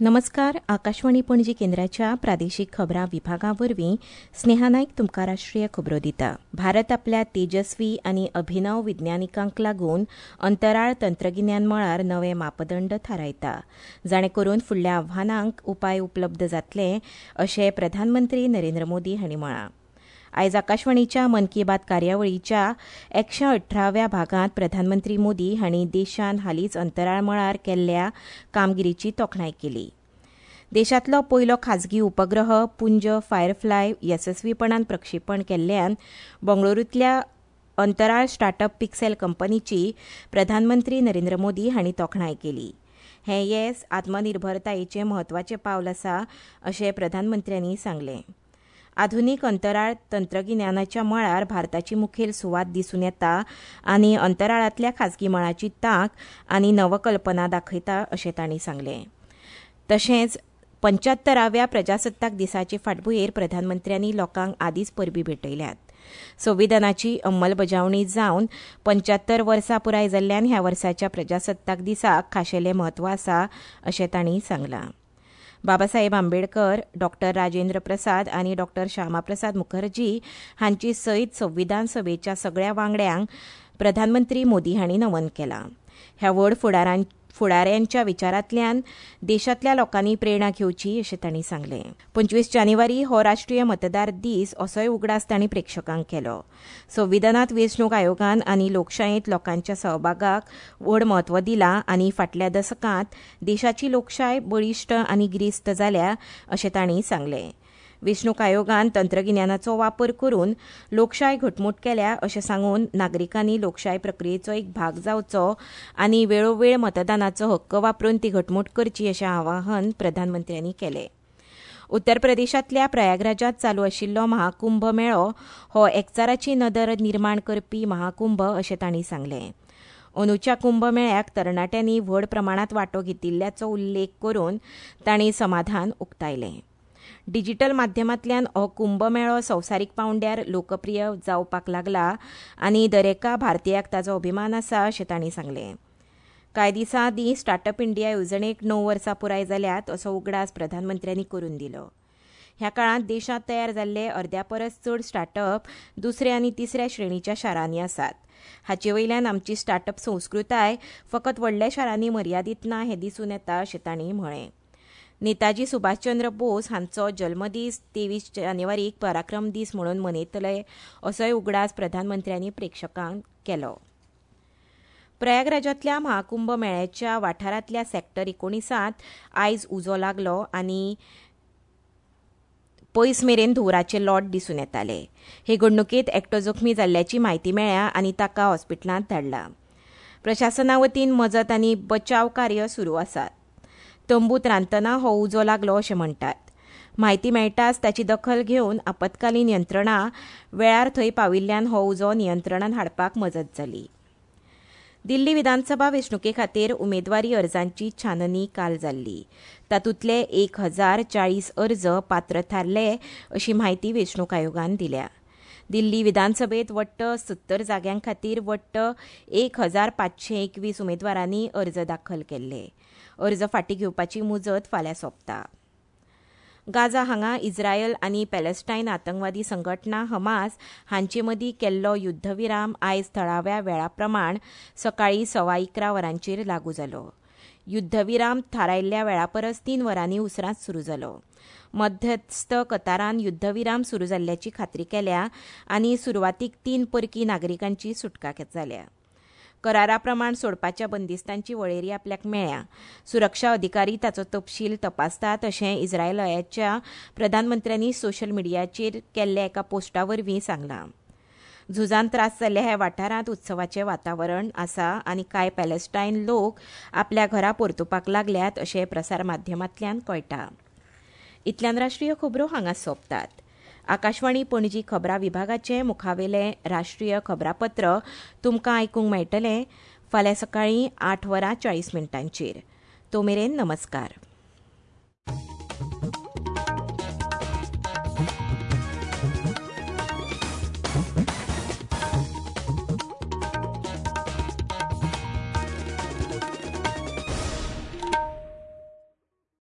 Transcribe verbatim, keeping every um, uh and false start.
नमस्कार. आकाशवाणी पणजी केंद्राच्या प्रादेशीक खबरां विभागा वरवीं स्नेहा नायक तुमकां राष्ट्रीय खबरो दिता. भारत आपल्या तेजस्वी आनी अभिनव विज्ञानिकांक लागून अंतराळ तंत्रगिन्यान मळार नवे मापदंड थारायता, जाणे करून फुडल्या आव्हानांक उपाय उपलब्ध जातले अशें प्रधानमंत्री नरेंद्र मोदी हांणी म्हळां. आयज आकाशवाणीच्या मन की बात कार्यावळीच्या एकशे अठराव्या भागांत प्रधानमंत्री मोदी हांणी देशान हालींच अंतराळ मळार केल्ल्या कामगिरीची तोखणाय केली. देशांतलो पयलो खाजगी उपग्रह पुंज फायरफ्लाय येसस्वीपणान प्रक्षेपण केल्ल्यान बंगळुरूंतल्या अंतराळ स्टार्टअप पिक्सेल कंपनीची प्रधानमंत्री नरेंद्र मोदी हांणी तोखणाय केली. हें येस आत्मनिर्भरतायेचें म्हत्वाचें पावल आसा अशें प्रधानमंत्र्यांनी सांगलें. आधुनीक अंतराळ तंत्रगिन्यानाच्या मळार भारताची मुखेल सुवात दिसून येता आनी अंतराळांतल्या खाजगी मळाची तांक आनी नवकल्पना दाखयता अशें तांणी सांगलें. तशेंच पंच्यात्तराव्या प्रजासत्ताक दिसाचे फाटभुंयेर प्रधानमंत्र्यांनी लोकांक आदींच परबीं भेटयल्यात. संविधानाची अंमलबजावणी जावन पंच्यात्तर वर्सां पुराय जाल्ल्यान ह्या वर्साच्या प्रजासत्ताक दिसाक खाशेलें म्हत्व आसा अशें तांणी सांगलां. बाबासाहेब आंबेडकर, डॉक्टर राजेंद्र प्रसाद आनी डॉक्टर श्यामाप्रसाद मुखर्जी हांची सयत संविधान सभेच्या सगळ्या वांगड्यांक प्रधानमंत्री मोदी हांणी नमन केलां. ह्या व्हड फुडारां फुडाऱ्यांच्या विचारांतल्यान देशांतल्या लोकांनी प्रेरणा घेवची अशें तांणी सांगलें. पंचवीस जानेवारी हो राष्ट्रीय मतदार दीस असोय उगडास तांणी प्रेक्षकांक केलो. संविधानांत वेंचणूक आयोगान आनी लोकशायेंत लोकांच्या सहभागाक व्हड म्हत्व दिलां आनी फाटल्या दसकांत देशाची लोकशाय बळिश्ट आनी गिरेस्त जाल्या अशें तांणी सांगलें. वेंचणूक आयोगान तंत्रगिन्यानाचो वापर करून लोकशाय घटमूट केल्या अशें सांगून नागरिकांनी लोकशाय प्रक्रियेचो एक भाग जावचो आनी वेळोवेळ मतदानाचो हक्क वापरून ती घटमूट करची अशें आवाहन प्रधानमंत्र्यांनी केलें. उत्तर प्रदेशांतल्या प्रयागराजांत चालू आशिल्लो महाकुंभ मेळो हो एकचाराची नदर निर्माण करपी महाकुंभ अशें तांणी सांगलें. अंदूच्या कुंभ मेळ्याक तरणाट्यांनी व्हड प्रमाणांत वांटो घेतिल्ल्याचो उल्लेख करून तांणी समाधान उक्तायलें. डिजिटल माध्यमांतल्यान हो कुंभमेळो संवसारीक पांवड्यार लोकप्रिय जावपाक लागला आनी दरेका भारतीयाक ताचो अभिमान आसा अशें तांणी सांगलें. कांय दिसां आदीं स्टार्टअप इंडिया येवजणेक णव वर्सां पुराय जाल्यात असो उगडास प्रधानमंत्र्यांनी करून दिलो. ह्या काळांत देशांत तयार जाल्ले अर्द्या परस चड स्टार्टअप दुसऱ्या आनी तिसऱ्या श्रेणीच्या शारांनी आसात. हाचे वयल्यान आमची स्टार्टअप संस्कृताय फकत व्हडल्या शारांनी मर्यादीत ना हें दिसून येता अशें तांणी म्हळें. नेताजी सुभाषचंद्र बोस हांचो जल्मदीस तेवीस जानेवारीक पराक्रम दीस म्हणून मनयतले असोय उगडास प्रधानमंत्र्यांनी प्रेक्षकांक केलो. प्रयागराजांतल्या महाकुंभ मेळ्याच्या वाठारांतल्या सेक्टर एकोणिसांत आयज उजो लागलो आनी पयस मेरेन धुंवराचे लोट दिसून येताले. हे घडणुकेंत एकटो जखमी जाल्ल्याची म्हायती मेळ्ळ्या आनी ताका हॉस्पिटलांत धाडला. प्रशासना वतीन मजत आनी बचाव कार्य सुरू आसात. तंबूत रांदतना हो उजो लागलो अशें म्हणटात. म्हायती मेळटाच ताची दखल घेवन आपत्कालीन यंत्रणा वेळार थंय पाविल्ल्यान हो उजो नियंत्रणांत हाडपाक मजत जाली. दिल्ली विधानसभा वेंचणुके खातीर उमेदवारी अर्जांची छाननी काल जाल्ली. तातूंतले एक हजार चाळीस अर्ज पात्र थारले अशी म्हायती वेंचणूक आयोगान दिल्या. दिल्ली विधानसभेत वट्ट सत्तर जाग्यां खातीर वट्ट एक हजार पांचशे एकवीस उमेदवारांनी अर्ज दाखल केल्ले. अर्ज फाटीं घेवपाची मुजत फाल्यां सोंपता. गाझा हांगा इस्रायल आनी पॅलेस्टायन आतंकवादी संघटना हमास हांचे मदीं केल्लो युद्धविराम आयज थळाव्या वेळा प्रमाण सकाळीं सवा इकरा वरांचेर लागू जालो. युद्धविराम थारायल्ल्या वेळा परस तीन वरांनी उसरांच सुरू जालो. मध्यस्थ कतारान युद्धविराम सुरू जाल्ल्याची खात्री केल्या आनी सुरवातीक तीन परकी नागरिकांची सुटका जाल्या. करारा प्रमाण सोडपाच्या बंदिस्तांची वळेरी आपल्याक मेळ्ळ्या. सुरक्षा अधिकारी ताचो तपशील तपासतात अशें इस्रायलाच्या प्रधानमंत्र्यांनी सोशल मिडियाचेर केल्ल्या एका पोस्टा वरवीं सांगलां. झुजान त्रास जाल्ल्या ह्या वाठारांत उत्सवाचें वातावरण आसा आनी कांय पॅलेस्टायन लोक आपल्या घरा परतुपाक लागल्यात अशें प्रसार माध्यमांतल्यान कळटा. इतल्यान राष्ट्रीय खबरो हांगा सोंपतात. आकाशवाणी पणजी खबरां विभागाचें मुखावेलें राष्ट्रीय खबरापत्र तुमकां आयकूंक मेळटलें फाल्यां सकाळीं आठ वरां चाळीस मिनटांचेर. तो मेरेन नमस्कार.